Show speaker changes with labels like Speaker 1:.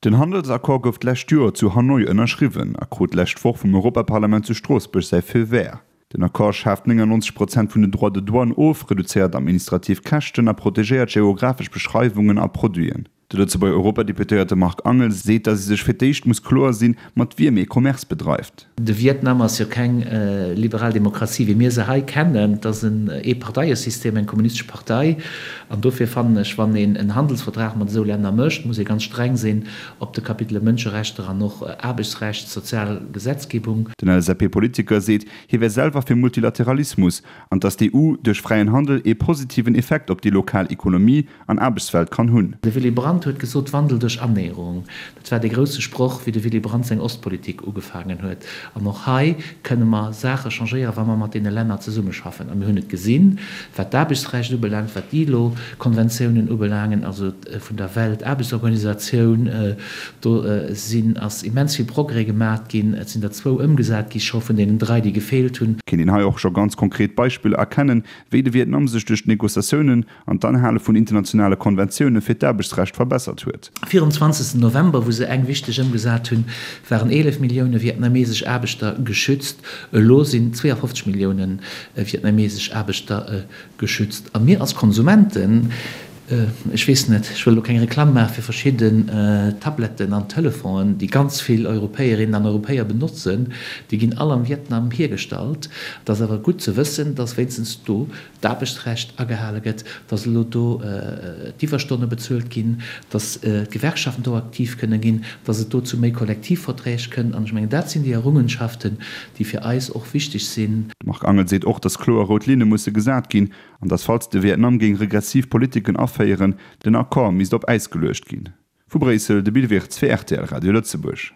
Speaker 1: Den Handelsaccord gouf d'lescht Joer zu Hanoi ënnerschriwwen a krut d'lescht Woch vum Europaparlament zu Stroossbuerg säi Feu vert. Den Accord schaaft 99 Prozent vun den Droits de douane of, reduzéiert administrativ Käschten a protegéiert geographesch Beschreiwungen a Produiten. De Lëtzebuerger Europadeputéierte Marc Angel seet, datt ee sech fir d'éischt muss kloer sinn, mat wiem ee Commerce bedreift.
Speaker 2: De Vietnam ass jo keng liberal Demokratie, wéi mir se hei kennen. Et ass en Eeparteiesystem, eng kommunistesch Partei. An dofir fannen ech, wann een en Handelsvertrag mat esou Länner mécht, muss ee ganz streng sinn op de Kapitele Mënscherechter an och Aarbechtsrecht, sozial Gesetzgebung.
Speaker 1: Den LSAP-Politiker seet, hie wär selwer fir Multilateralismus an datt d'EU duerch fräien Handel ee positiven Effekt op déi lokal Ekonomie an Aarbechtswelt kann hunn.
Speaker 2: De Willy Brandt huet gesot, Wandel duerch Annäherung. Dat war dee grousse Sproch, wéi de Willy Brandt seng Ostpolitik ugefaangen huet. An och hei kënne mer Saache changéieren, wa mer mat deene Länner zesummeschaffen. A mir hunn et gesinn, wat d'Aarbechtsrecht ubelaangt, wat d'ILO-Konventiounen ubelaangen, also vun der Weltaarbechtsorganisatioun, do sinn, ass immens vill Progrès gemaat ginn. Et sinn der zwou ëmgesat gi scho vun deenen drai, déi gefeelt hunn.
Speaker 1: Kéint een hei och scho ganz konkret Beispiller erkennen, wéi de Vietnam sech duerch d'Negociatiounen an d'Anhale vun internationale Konventioune fir d'Aarbechtsrecht verbessert huet.
Speaker 2: 24 November, wou se eng wichteg ëmgesat hunn, waren 11 Millioune vietnamesesch Aarbechter geschützt. Elo sinn 52 Millioune vietnamesesch Aarbechter geschützt. A mir als Konsumenten, ech weess net, ech wëll elo keng Reklamm maache fir verschidden Tabletten an Telefonen, déi ganz vill Europäerinnen an Europäer benotzen, déi ginn all am Vietnam hiergestallt. Et ass awer gutt ze wëssen, dass wéinstens do d'Aarbechtsrecht agehale gëtt, dass elo do d'Iwwerstonne bezuelt ginn, dass d'Gewerkschaften do aktiv kënne ginn, dass et do zu méi Kollektivverträg kënnt. An ech mengen, dat sinn déi Errungenschaften, déi fir eis och wichteg sinn.
Speaker 1: De Marc Angel seet och, dass kloer rout Linne musse gesat ginn an dass, falls de Vietnam géing regressiv Politiken aféieren, den Accord misst op Äis geluecht ginn. Vu Bréissel, de Bill Wirtz fir rtl Radio Lëtzebuerg.